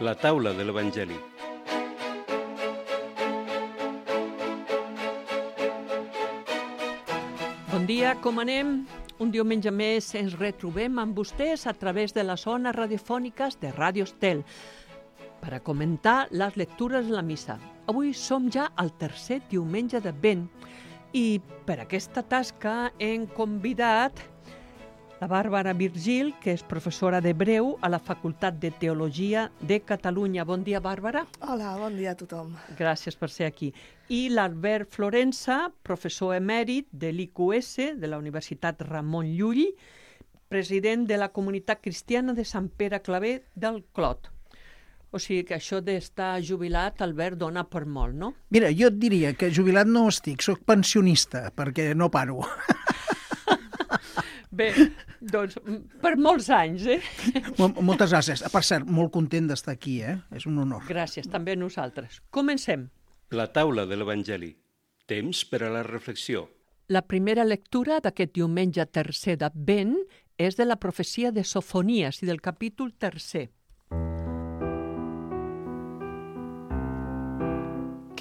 La taula de l'Evangeli. Bon dia, com anem? Un diumenge més ens retrobem amb vostès a través de les ones radiofòniques de Ràdio Estel per a comentar les lectures de la missa. Avui som ja al tercer diumenge d'Advent i per aquesta tasca hem convidat la Bàrbara Virgil, que és professora d'hebreu a la Facultat de Teologia de Catalunya. Bon dia, Bàrbara. Hola, bon dia a tothom. Gràcies per ser aquí. I l'Albert Florensa, professor emèrit de l'IQS, de la Universitat Ramon Llull, president de la Comunitat Cristiana de Sant Pere Claver del Clot. O sigui que això d'estar jubilat, Albert, dona per molt, no? Mira, jo et diria que jubilat no estic, soc pensionista, perquè no paro. Bé, doncs, per molts anys, Moltes gràcies. Per cert, molt content d'estar aquí, És un honor. Gràcies, també a nosaltres. Comencem. La taula de l'Evangeli. Temps per a la reflexió. La primera lectura d'aquest diumenge tercer d'Advent és de la profecia de Sofonies i del capítol tercer.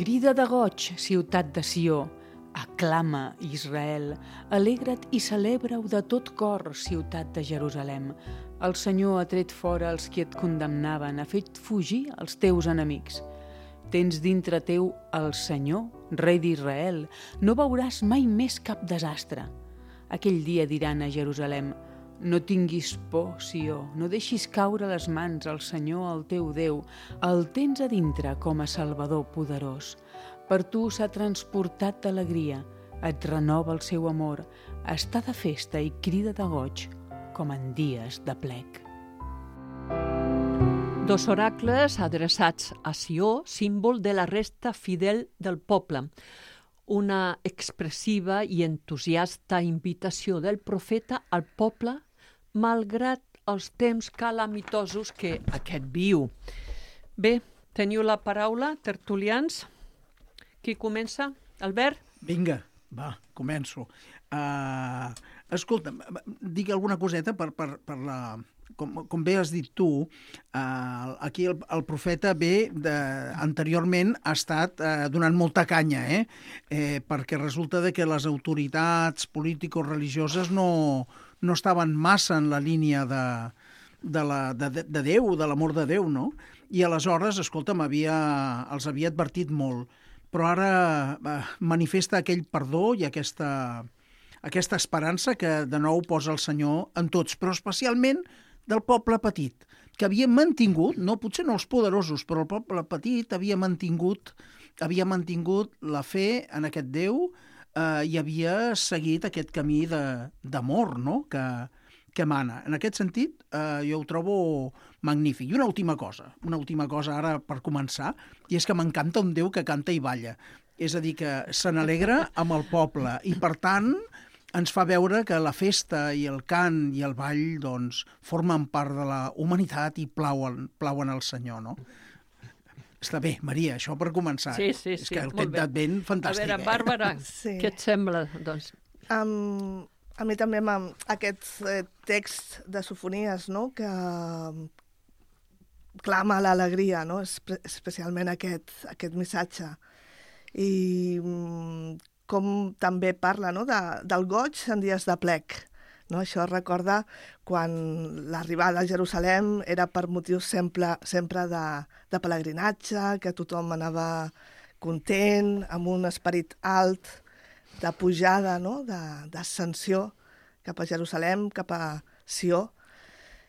Crida de goig, ciutat de Sió. Aclama, Israel, alegra't i celebra-ho de tot cor, ciutat de Jerusalem. El Senyor ha tret fora els qui et condemnaven, ha fet fugir els teus enemics. Tens dintre teu el Senyor, rei d'Israel, no veuràs mai més cap desastre. Aquell dia diran a Jerusalem: no tinguis por, Sió, no deixis caure les mans al Senyor, el teu Déu, el tens a dintre com a Salvador poderós. Per tu s'ha transportat d'alegria, et renova el seu amor, està de festa i crida de goig, com en dies de plec. Dos oracles adreçats a Sió, símbol de la resta fidel del poble. Una expressiva i entusiasta invitació del profeta al poble, malgrat els temps calamitosos que aquest viu. Bé, teniu la paraula, tertulians. Qui comença? Albert? Vinga, va, començo. Escolta, dic alguna coseta per la... Com bé has dit tu, aquí el profeta anteriorment ha estat donant molta canya, perquè resulta que les autoritats político-religioses no estaven massa en la línia de Déu, de l'amor de Déu, no? I aleshores, escolta'm, els havia advertit molt, però ara manifesta aquell perdó i aquesta esperança que de nou posa el Senyor en tots, però especialment del poble petit, que havia mantingut, potser no els poderosos, però el poble petit havia mantingut la fe en aquest Déu i havia seguit aquest camí d'amor, no?, que mana. En aquest sentit, jo ho trobo magnífic. I una última cosa ara per començar, i és que m'encanta un Déu que canta i balla. És a dir, que se n'alegra amb el poble i, per tant, ens fa veure que la festa i el cant i el ball doncs, formen part de la humanitat i plauen al Senyor, no? Està bé, Maria, això per començar. Sí, és que el temps d'Advent, fantàstic. A veure, Bàrbara, Sí. què et sembla? Doncs, A mi també amb aquest text de Sofonies, no?, que clama l'alegria, no?, especialment aquest missatge. I com també parla, no?, del goig en dies de plec. No? Això recorda quan l'arribada a Jerusalem era per motius sempre de pelegrinatge, que tothom anava content, amb un esperit alt, de pujada, no?, d'ascensió cap a Jerusalem, cap a Sió.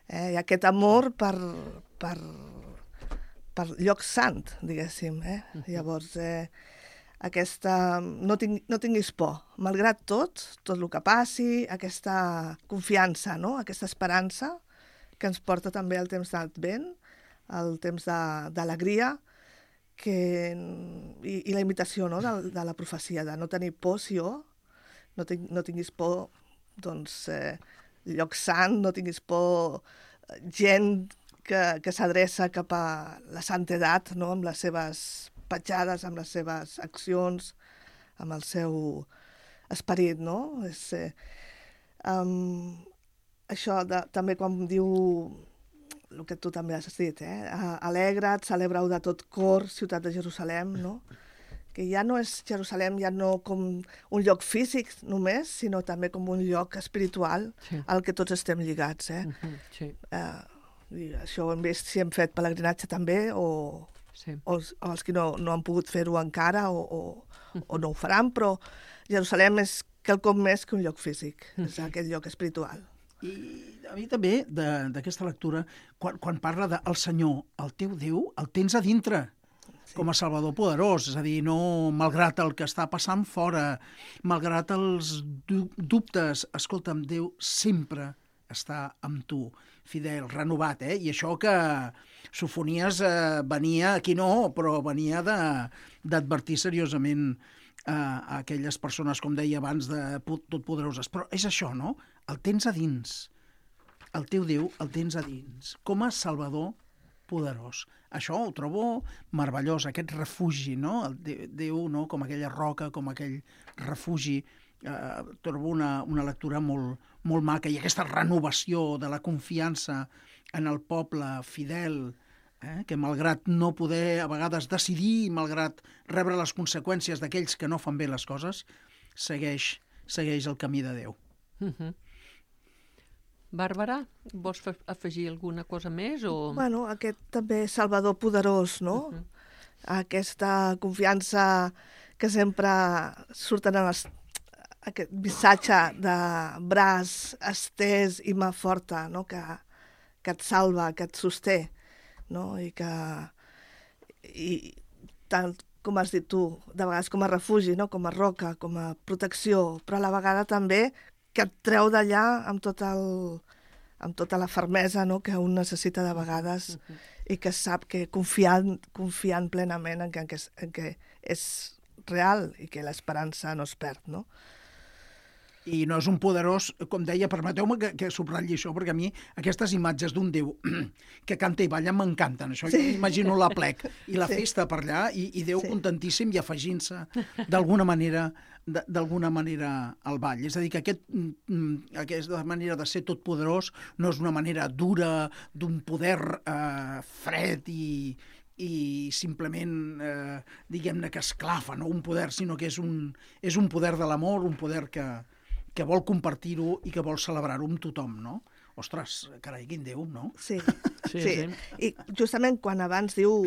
I aquest amor per lloc sant, diguéssim. Llavors, no tinguis por. Malgrat tot el que passi, aquesta confiança, no?, aquesta esperança que ens porta també el temps d'Advent, el temps d'alegria, i la imitació, no?, de la profecia, de no tenir por, Sió, no tinguis por, doncs, lloc sant, no tinguis por, gent que s'adreça cap a la santedat, no?, amb les seves petjades, amb les seves accions, amb el seu esperit, no? Això també quan diu el que tu també has dit, alegra't, celebreu de tot cor, ciutat de Jerusalem, no? Que ja no és Jerusalem, ja no com un lloc físic només, sinó també com un lloc espiritual al que tots estem lligats. Sí. I això ho hem vist si hem fet pelegrinatge també, o els que no han pogut fer-ho encara, o no ho faran, però Jerusalem és quelcom més que un lloc físic, és aquest lloc espiritual. I a mi també, d'aquesta lectura, quan parla del Senyor, el teu Déu, el tens a dintre, com a Salvador poderós, és a dir, no malgrat el que està passant fora, malgrat els dubtes, escolta'm, Déu sempre està amb tu, fidel, renovat, I això que Sofonies venia, aquí no, però venia d'advertir seriosament a aquelles persones, com deia abans, totpoderoses. Però és això, no? El tens a dins. El teu Déu el tens a dins, com a Salvador poderós. Això ho trobo meravellós, aquest refugi, no? El Déu, no? Com aquella roca, com aquell refugi. Trobo una lectura molt maca, i aquesta renovació de la confiança en el poble fidel, que malgrat no poder a vegades decidir, malgrat rebre les conseqüències d'aquells que no fan bé les coses, segueix el camí de Déu. Bàrbara, vols afegir alguna cosa més? Bueno, aquest també Salvador poderós, no? Aquesta confiança que sempre surten en aquest missatge de braç estès i mà forta, no? Que et salva, que et sosté, no? I tant com has dit tu, de vegades com a refugi, no? Com a roca, com a protecció, però a la vegada també que et treu d'allà amb tota la fermesa, no? Que un necessita de vegades, i que sap que confiant plenament en que és real i que l'esperança no es perd, no? I no és un poderós, com deia, permeteu-me que subratlli això, perquè a mi aquestes imatges d'un Déu que canta i balla m'encanten. Això jo imagino l'aplec i la festa per allà, i Déu contentíssim i afegint-se d'alguna manera al ball. És a dir, que aquesta manera de ser totpoderós no és una manera dura, d'un poder fred i simplement, diguem-ne, que esclafa, no un poder, sinó que és un poder de l'amor, un poder que vol compartir-ho i que vol celebrar-ho amb tothom, no? Ostres, carai, quin Déu, no? Sí. I justament quan abans diu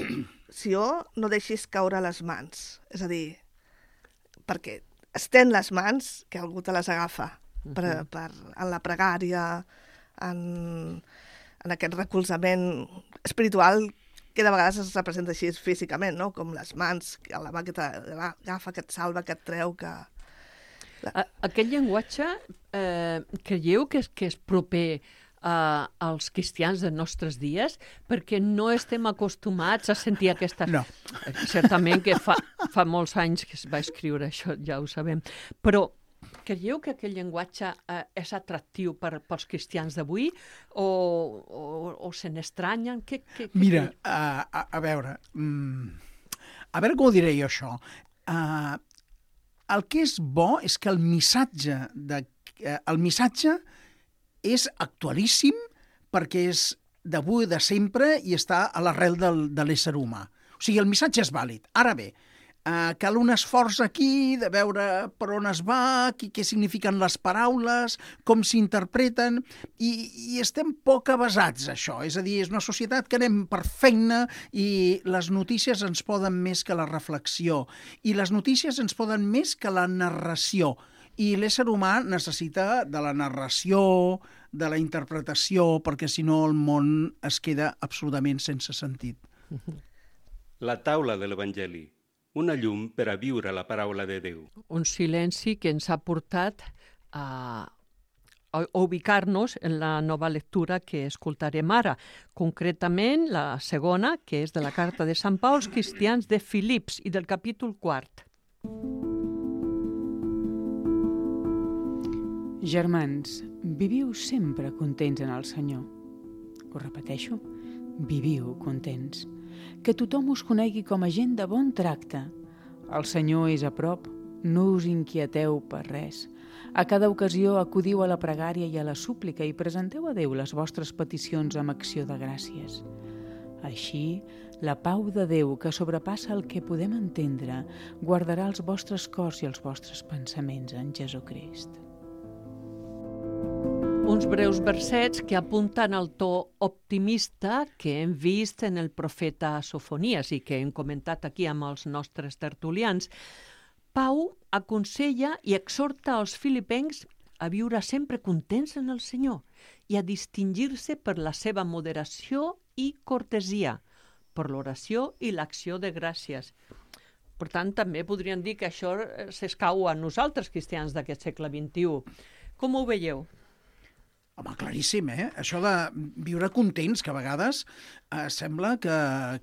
Sió, no deixis caure les mans. És a dir, perquè estén les mans, que algú te les agafa en la pregària, en aquest recolzament espiritual que de vegades es representa així físicament, no? Com les mans, la mà que t'agafa, que et salva, que et treu, que... Aquest llenguatge creieu que és proper als cristians dels nostres dies? Perquè no estem acostumats a sentir aquestes... No. Certament que fa molts anys que es va escriure això, ja ho sabem. Però creieu que aquest llenguatge és atractiu pels cristians d'avui o se n'estranyen? Mira, a veure com ho diré jo, això. El que és bo és que el missatge és actualíssim, perquè és d'avui, de sempre, i està a l'arrel de l'ésser humà. O sigui, el missatge és vàlid. Ara bé, cal un esforç aquí de veure per on es va, què signifiquen les paraules, com s'interpreten, i estem poc avesats a això. És a dir, és una societat que anem per feina i les notícies ens poden més que la reflexió, i les notícies ens poden més que la narració. I l'ésser humà necessita de la narració, de la interpretació, perquè si no el món es queda absolutament sense sentit. La taula de l'Evangeli, una llum per a viure la paraula de Déu. Un silenci que ens ha portat a ubicar-nos en la nova lectura que escoltarem ara, concretament la segona, que és de la carta de Sant Pau als cristians de Filips i del capítol 4. Germans, viviu sempre contents en el Senyor. Ho repeteixo, viviu contents. Que tothom us conegui com a gent de bon tracte. El Senyor és a prop, no us inquieteu per res. A cada ocasió acudiu a la pregària i a la súplica i presenteu a Déu les vostres peticions amb acció de gràcies. Així, la pau de Déu, que sobrepassa el que podem entendre, guardarà els vostres cors i els vostres pensaments en Jesucrist. Uns breus versets que apunten al to optimista que hem vist en el profeta Sofonies i que hem comentat aquí amb els nostres tertulians. Pau aconsella i exhorta als filipencs a viure sempre contents en el Senyor i a distingir-se per la seva moderació i cortesia, per l'oració i l'acció de gràcies. Per tant, també podríem dir que això s'escau a nosaltres, cristians d'aquest segle XXI. Com ho veieu? Home, claríssim, Això de viure contents, que a vegades sembla que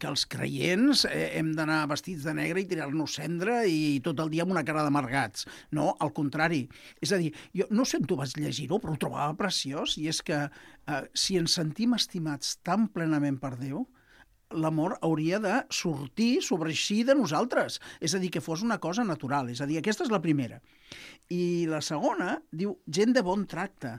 els creients hem d'anar vestits de negre i tirar-nos cendra i tot el dia amb una cara d'amargats. No, al contrari. És a dir, jo no sé on tu vas llegir-ho, però ho trobava preciós, i és que si ens sentim estimats tan plenament per Déu, l'amor hauria de sortir, sobreeixir de nosaltres. És a dir, que fos una cosa natural. És a dir, aquesta és la primera. I la segona diu gent de bon tracte.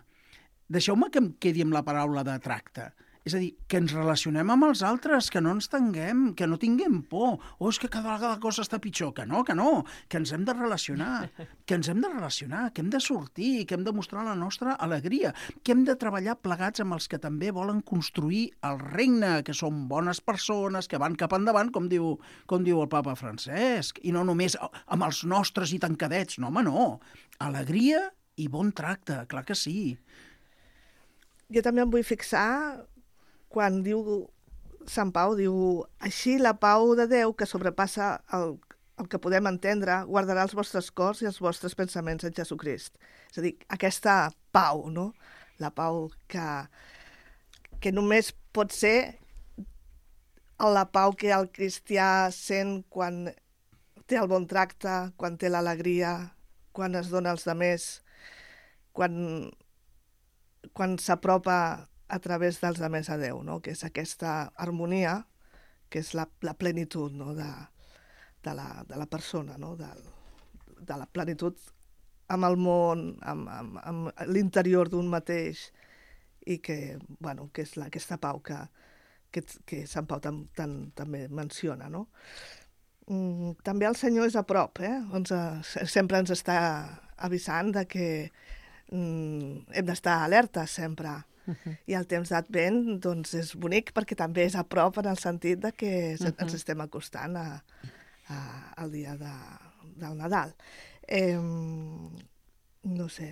Deixeu-me que em quedi amb la paraula de tracte. És a dir, que ens relacionem amb els altres, que no ens tanguem, que no tinguem por. És que cada vegada la cosa està pitjor. Que no, que ens hem de relacionar, que hem de sortir, que hem de mostrar la nostra alegria, que hem de treballar plegats amb els que també volen construir el regne, que són bones persones, que van cap endavant, com diu el papa Francesc, i no només amb els nostres i tancadets. No, home, no. Alegria i bon tracte, clar que sí. Jo també em vull fixar quan diu Sant Pau, diu així la pau de Déu que sobrepassa el que podem entendre guardarà els vostres cors i els vostres pensaments en Jesucrist. És a dir, aquesta pau, no? La pau que només pot ser la pau que el cristià sent quan té el bon tracte, quan té l'alegria, quan es dona als demés, quan s'apropa a través dels altres a Déu, no? Que és aquesta harmonia, que és la plenitud, no? de la persona, no? de la plenitud amb el món, amb l'interior d'un mateix, i que és aquesta pau que Sant Pau també menciona. No? També el Senyor és a prop, sempre ens està avisant de que hem d'estar alertes sempre. I el temps d'Advent doncs, és bonic perquè també és a prop en el sentit de que ens estem acostant al dia del Nadal. No sé.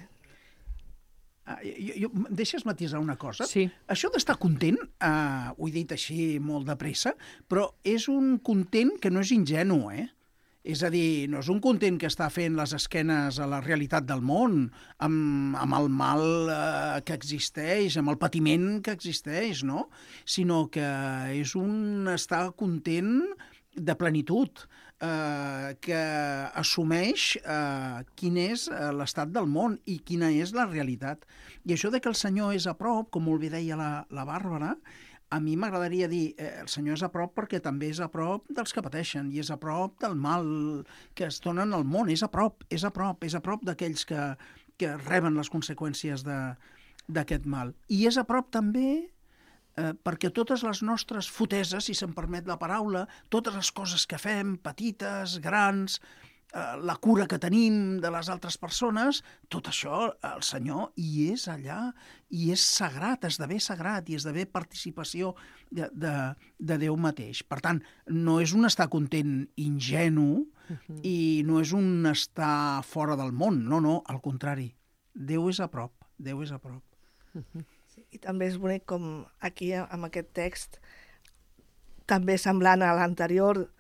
Deixes matisar una cosa? Sí. Això d'estar content, ho he dit així molt de pressa, però és un content que no és ingenu, És a dir, no és un content que està fent les esquenes a la realitat del món, amb el mal que existeix, amb el patiment que existeix, no? Sinó que és un estar content de plenitud, que assumeix quin és l'estat del món i quina és la realitat. I això de que el Senyor és a prop, com molt bé deia la Bàrbara, a mi m'agradaria dir, el Senyor és a prop perquè també és a prop dels que pateixen i és a prop del mal que es donen al món, és a prop d'aquells que reben les conseqüències d'aquest mal. I és a prop també perquè totes les nostres foteses, si se'm permet la paraula, totes les coses que fem, petites, grans, la cura que tenim de les altres persones, tot això, el Senyor hi és allà, i és sagrat, esdevé sagrat, i esdevé participació de Déu mateix. Per tant, no és un estar content ingenu i no és un estar fora del món, no, al contrari. Déu és a prop, Déu és a prop. I també és bonic com aquí, amb aquest text, també semblant a l'anterior,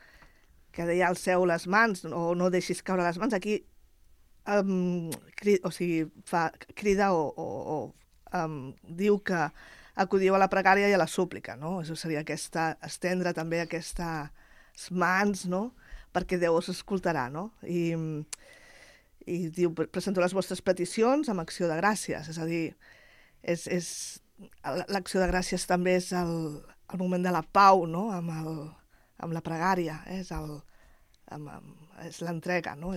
que deia alceu les mans o no deixis caure les mans, aquí crida o diu que acudiu a la pregària i a la súplica, no? Això seria estendre també aquestes mans, no? Perquè Déu us escoltarà, no? I diu, presento les vostres peticions amb acció de gràcies, és a dir, l'acció de gràcies també és el moment de la pau, no? Amb la pregària, és l'entrega, no?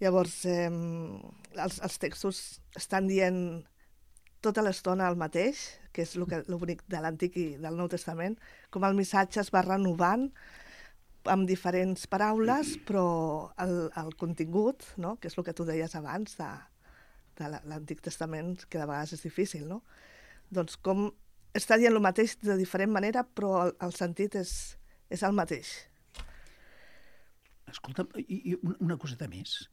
Llavors, els textos estan dient tota l'estona el mateix, que és el bonic de l'Antic i del Nou Testament, com el missatge es va renovant amb diferents paraules, però el contingut, no? Que és el que tu deies abans de l'Antic Testament, que de vegades és difícil, no? Doncs com està dient el mateix de diferent manera, però el sentit és el mateix. Escolta, i una coseta més.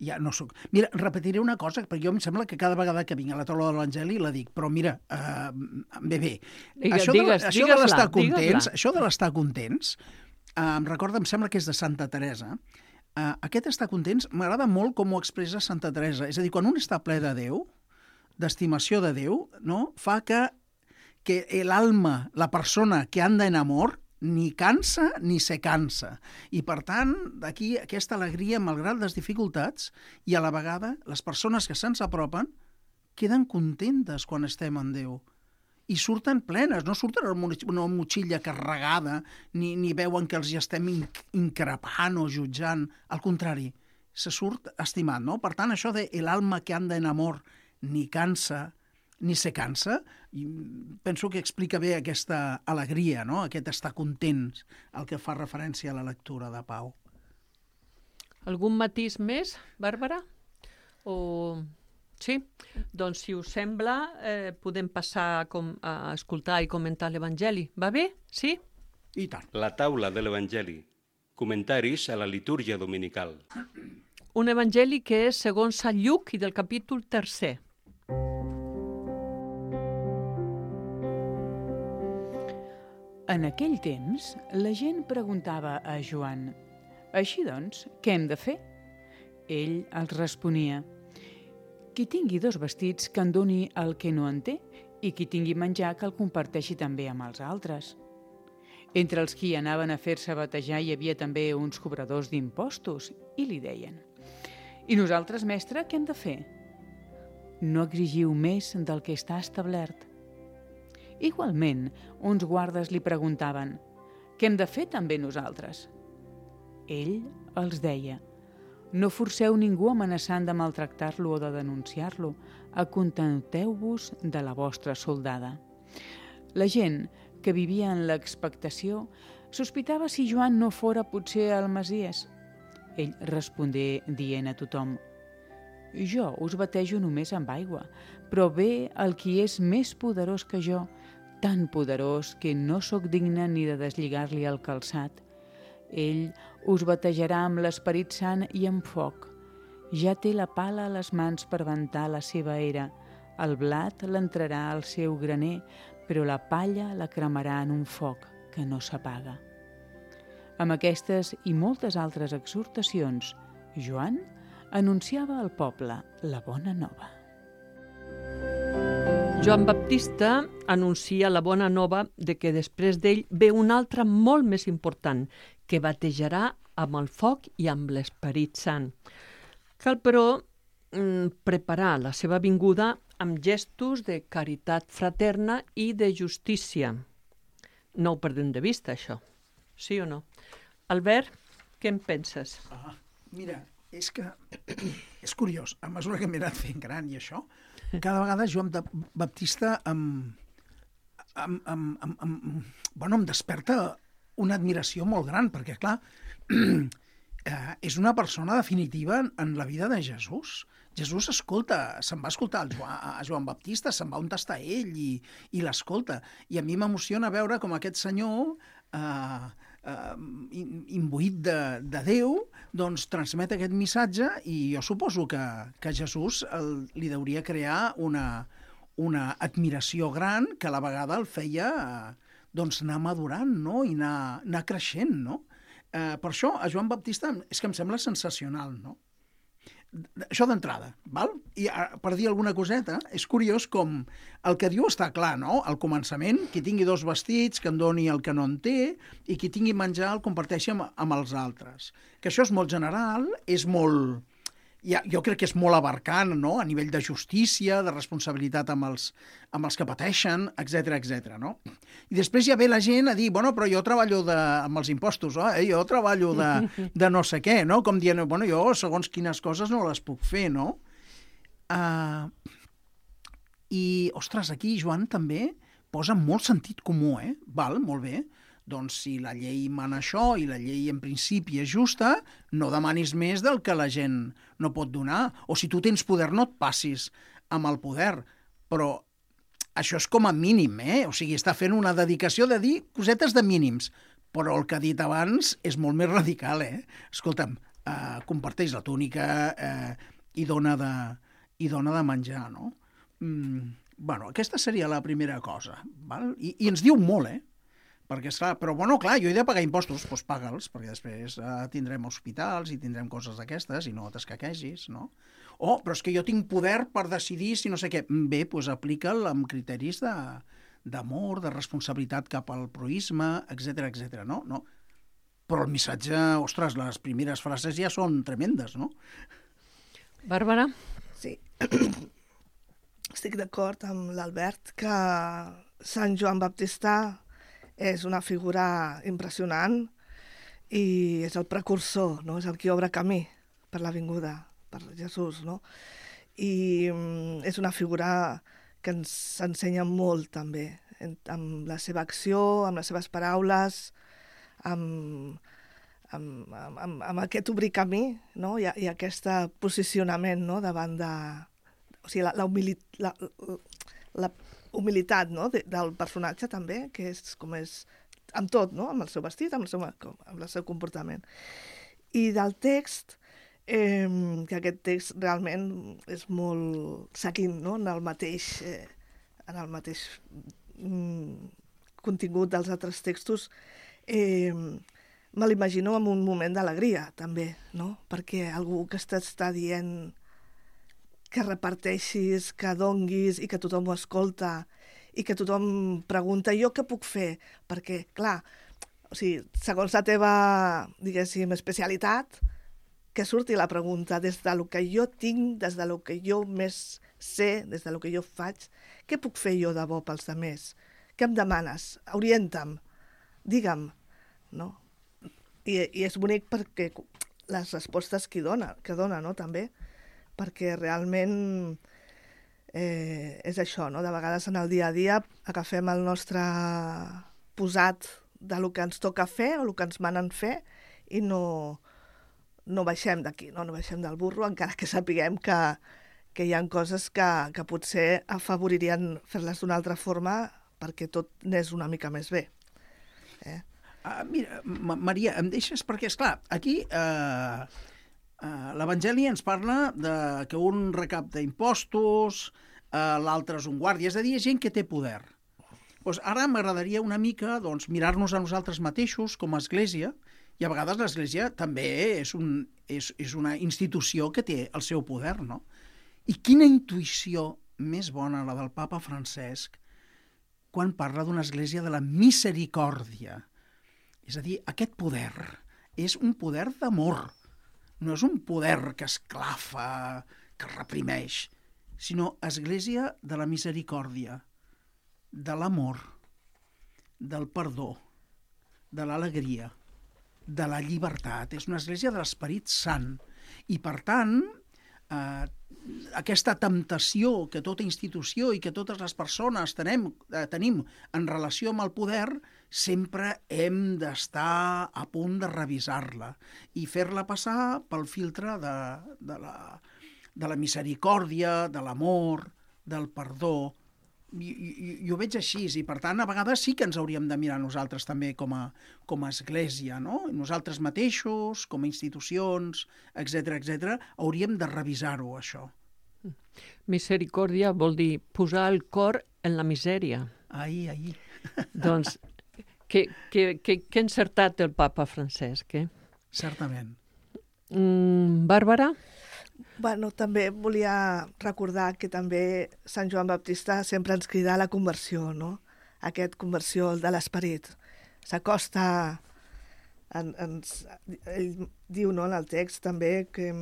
Ja no soc... Mira, repetiré una cosa, perquè jo em sembla que cada vegada que vinc a la taula de l'Evangeli la dic, però mira, bé, això de l'estar contents, em recorda, em sembla que és de Santa Teresa. Aquest estar contents m'agrada molt com ho expressa Santa Teresa. És a dir, quan un està ple de Déu, d'estimació de Déu, no? Fa que l'alma, la persona que anda en amor, ni cansa ni se cansa. I, per tant, d'aquí aquesta alegria, malgrat les dificultats, i a la vegada les persones que se'ns apropen queden contentes quan estem en Déu. I surten plenes, no surten amb una motxilla carregada, ni veuen que els hi estem increpant o jutjant. Al contrari, se surt estimat, no? Per tant, això de l'alma que anda en amor ni cansa ni se cansa, i penso que explica bé aquesta alegria, no? Aquest estar contents, el que fa referència a la lectura de Pau. Algun matís més, Bàrbara? Sí? Doncs, si us sembla, podem passar a escoltar i comentar l'Evangeli. Va bé? Sí? I tant. La taula de l'Evangeli. Comentaris a la litúrgia dominical. Un Evangeli que és segons Sant Lluc i del capítol 3. En aquell temps, la gent preguntava a Joan: «Així doncs, què hem de fer?» Ell els responia: «Qui tingui 2 vestits, que en doni el que no en té, i qui tingui menjar, que el comparteixi també amb els altres». Entre els qui anaven a fer-se batejar hi havia també uns cobradors d'impostos, i li deien: «I nosaltres, mestre, què hem de fer?» «No exigiu més del que està establert». Igualment, uns guardes li preguntaven: «Què hem de fer també nosaltres?» Ell els deia: «No forceu ningú amenaçant de maltractar-lo o de denunciar-lo. Acontenteu-vos de la vostra soldada». La gent, que vivia en l'expectació, sospitava si Joan no fora potser el Messies. Ell respongué dient a tothom: «Jo us batejo només amb aigua, però ve el qui és més poderós que jo, tan poderós que no sóc digne ni de deslligar-li el calçat. Ell us batejarà amb l'Esperit Sant i amb foc. Ja té la pala a les mans per ventar la seva era. El blat l'entrarà al seu graner, però la palla la cremarà en un foc que no s'apaga». Amb aquestes i moltes altres exhortacions, Joan anunciava al poble la bona nova. Joan Baptista anuncia la bona nova de que després d'ell ve un altre molt més important, que batejarà amb el foc i amb l'Esperit Sant. Cal, però, preparar la seva vinguda amb gestos de caritat fraterna i de justícia. No ho perdem de vista, això. Sí o no? Albert, què en penses? Mira, és que és curiós. A mesura que m'he anat fent gran i això, cada vegada Joan Baptista em desperta una admiració molt gran, perquè, clar, és una persona definitiva en la vida de Jesús. Jesús escolta, se'n va escoltar a Joan Baptista, se'n va on està ell i l'escolta. I a mi m'emociona veure com aquest senyor, imbuït de Déu, doncs transmet aquest missatge, i jo suposo que Jesús li hauria crear una admiració gran que a la vegada el feia doncs anar madurant, no? I anar creixent, no? Per això a Joan Baptista és que em sembla sensacional, no? Això d'entrada, val? I per dir alguna coseta, és curiós com el que diu està clar, no? Al començament, qui tingui 2 vestits, que en doni el que no en té, i qui tingui menjar el comparteixi amb els altres. Que això és molt general, és molt... Jo crec que és molt abarcant, no? A nivell de justícia, de responsabilitat amb els que pateixen, etc, no? I després ja ve la gent a dir, bueno, però jo treballo amb els impostos, jo treballo de no sé què, no? Com dient, bueno, jo segons quines coses no les puc fer, no? I, ostres, aquí Joan també posa molt sentit comú, Val, molt bé. Doncs si la llei mana això i la llei en principi és justa, no demanis més del que la gent no pot donar. O si tu tens poder, no et passis amb el poder. Però això és com a mínim, O sigui, està fent una dedicació de dir cosetes de mínims. Però el que ha dit abans és molt més radical, Escolta'm, comparteix la túnica i dona de menjar, no? Bueno, aquesta seria la primera cosa, val? I ens diu molt, Perquè, esclar, però, bueno, clar, jo he de pagar impostos, doncs paga'ls, perquè després tindrem hospitals i tindrem coses d'aquestes i no t'escaquegis, no? Però és que jo tinc poder per decidir si no sé què. Bé, doncs aplica'l amb criteris d'amor, de responsabilitat cap al proisme, etc, no? Però el missatge, ostres, les primeres frases ja són tremendes, no? Bàrbara? Sí. Estic d'acord amb l'Albert que Sant Joan Baptista és una figura impressionant i és el precursor, no? És el qui obre camí per la vinguda, per Jesús, no? I és una figura que ens ensenya molt també, amb la seva acció, amb les seves paraules, amb aquest obrir camí, no? I aquest posicionament, no? Davant de... O sigui, la humilitat, no? Del personatge també, que és com és amb tot, no? Amb el seu vestit, amb el seu comportament. I del text, que aquest text realment és molt seguint, no? En el mateix contingut dels altres textos, me l'imagino en un moment d'alegria també, no? Perquè algú que està dient que reparteixis, que donguis i que tothom ho escolta i que tothom pregunta jo què puc fer? Perquè, clar, o sigui, segons la teva, diguéssim, especialitat, que surti la pregunta des de lo que jo tinc, des de lo que jo més sé, des de lo que jo faig, què puc fer jo de bo pels altres? Què em demanes? Orienta'm, digue'm, no? I és bonic perquè les respostes que dona, no?, també, perquè realment és això, no? De vegades en el dia a dia agafem el nostre posat de lo que ens toca fer o el que ens manen fer i no baixem d'aquí, no baixem del burro, encara que sapiguem que hi ha coses que potser afavoririen fer-les d'una altra forma perquè tot n'és una mica més bé. Mira, Maria, em deixes? Perquè, esclar, aquí l'Evangeli ens parla que un recapta impostos, l'altre és un guàrdia, és a dir, gent que té poder. Doncs ara m'agradaria una mica mirar-nos a nosaltres mateixos com a església, i a vegades l'església també és una institució que té el seu poder, no? I quina intuïció més bona la del papa Francesc quan parla d'una església de la misericòrdia. És a dir, aquest poder és un poder d'amor, no és un poder que esclafa, que reprimeix, sinó església de la misericòrdia, de l'amor, del perdó, de l'alegria, de la llibertat. És una església de l'Esperit Sant. I, per tant, aquesta temptació que tota institució i que totes les persones tenim en relació amb el poder, sempre hem d'estar a punt de revisar-la i fer-la passar pel filtre de la misericòrdia, de l'amor, del perdó. Jo ho veig així, i per tant a vegades sí que ens hauríem de mirar nosaltres també com a església, no? Nosaltres mateixos, com a institucions, etc, hauríem de revisar-ho, això. Misericòrdia vol dir posar el cor en la misèria. Ahí. Doncs, que encertat el papa Francesc, Certament. Bàrbara? Bueno, també volia recordar que també Sant Joan Baptista sempre ens crida a la conversió, no? Aquest conversió de l'esperit. S'acosta, ell diu, no, en el text també que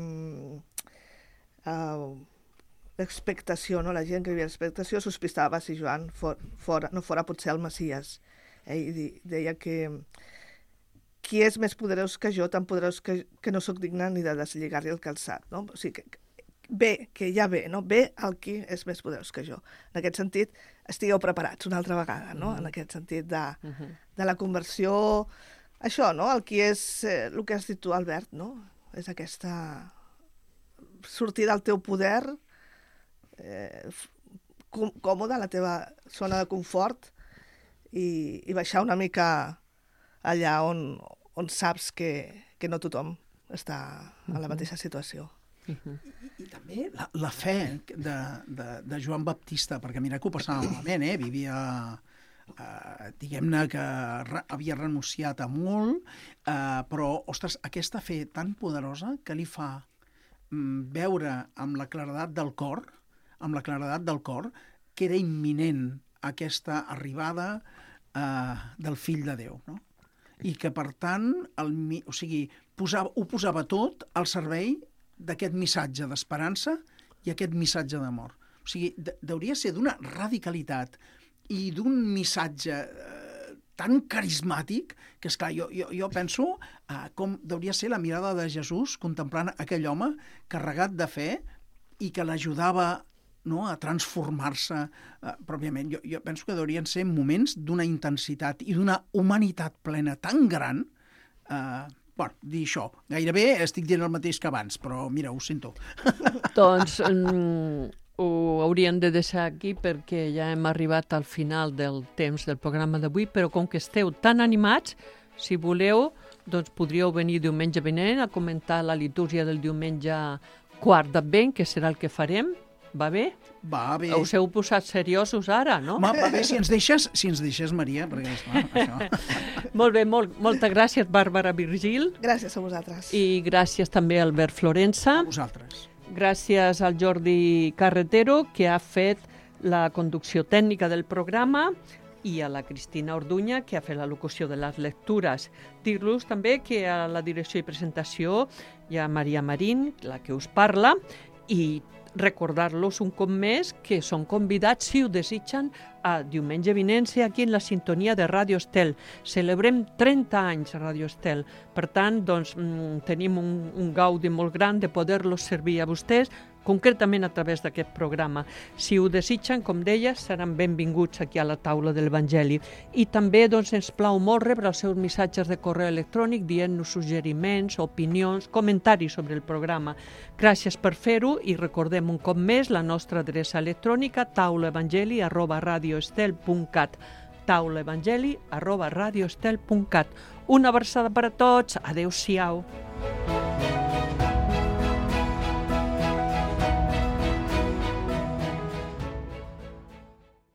l'expectació, no? La gent que hi havia l'expectació sospitava si Joan no fora potser el Messies. I deia que qui és més poderós que jo, tan poderós que no sóc digna ni de deslligar-li el calçat, no? O sigui, que ja ve, no? Ve el qui és més poderós que jo. En aquest sentit, estigueu preparats una altra vegada, no? En aquest sentit de la conversió, això, no? El qui és, el que has dit tu, Albert, no? És aquesta sortir del teu poder, còmode, a la teva zona de confort, i baixar una mica allà on saps que no tothom està en la mateixa situació. I també la fe de Joan Baptista, perquè mira que ho passava malament, vivia, diguem-ne que havia renunciat a molt, però, ostres, aquesta fe tan poderosa que li fa veure amb la claredat del cor, que era imminent aquesta arribada del fill de Déu, no? I que, per tant, ho posava tot al servei d'aquest missatge d'esperança i aquest missatge d'amor. O sigui, hauria ser d'una radicalitat i d'un missatge tan carismàtic que, esclar, jo penso com hauria ser la mirada de Jesús contemplant aquell home carregat de fe i que l'ajudava, no, a transformar-se pròpiament. Jo penso que haurien ser moments d'una intensitat i d'una humanitat plena tan gran. Bueno, dir això, gairebé estic dient el mateix que abans, però mira, ho sento. Doncs ho hauríem de deixar aquí perquè ja hem arribat al final del temps del programa d'avui, però com que esteu tan animats, si voleu, doncs podríeu venir diumenge vinent a comentar la litúrgia del diumenge quart d'Advent, que serà el que farem. Va bé? Va bé. Us heu posat seriosos ara, no? Va bé, si ens deixes, Maria, perquè esclar, això... Molt bé, moltes gràcies, Bàrbara Virgil. Gràcies a vosaltres. I gràcies també a Albert Florença. A vosaltres. Gràcies al Jordi Carretero, que ha fet la conducció tècnica del programa, i a la Cristina Orduña, que ha fet la locució de les lectures. Dir-los també que a la direcció i presentació hi ha Maria Marín, la que us parla, i recordar-los un cop més que són convidats, si ho desitgen, a diumenge vinent aquí en la sintonia de Ràdio Estel. Celebrem 30 anys a Ràdio Estel. Per tant, doncs, tenim un gaudi molt gran de poder-los servir a vostès, concretament a través d'aquest programa. Si ho desitgen, com deia, seran benvinguts aquí a la taula de l'Evangeli. I també doncs, ens plau molt rebre els seus missatges de correu electrònic dient-nos suggeriments, opinions, comentaris sobre el programa. Gràcies per fer-ho i recordem un cop més la nostra adreça electrònica taulaevangeli@radioestel.cat taulaevangeli@radioestel.cat. Una abraçada per a tots. Adéu-siau.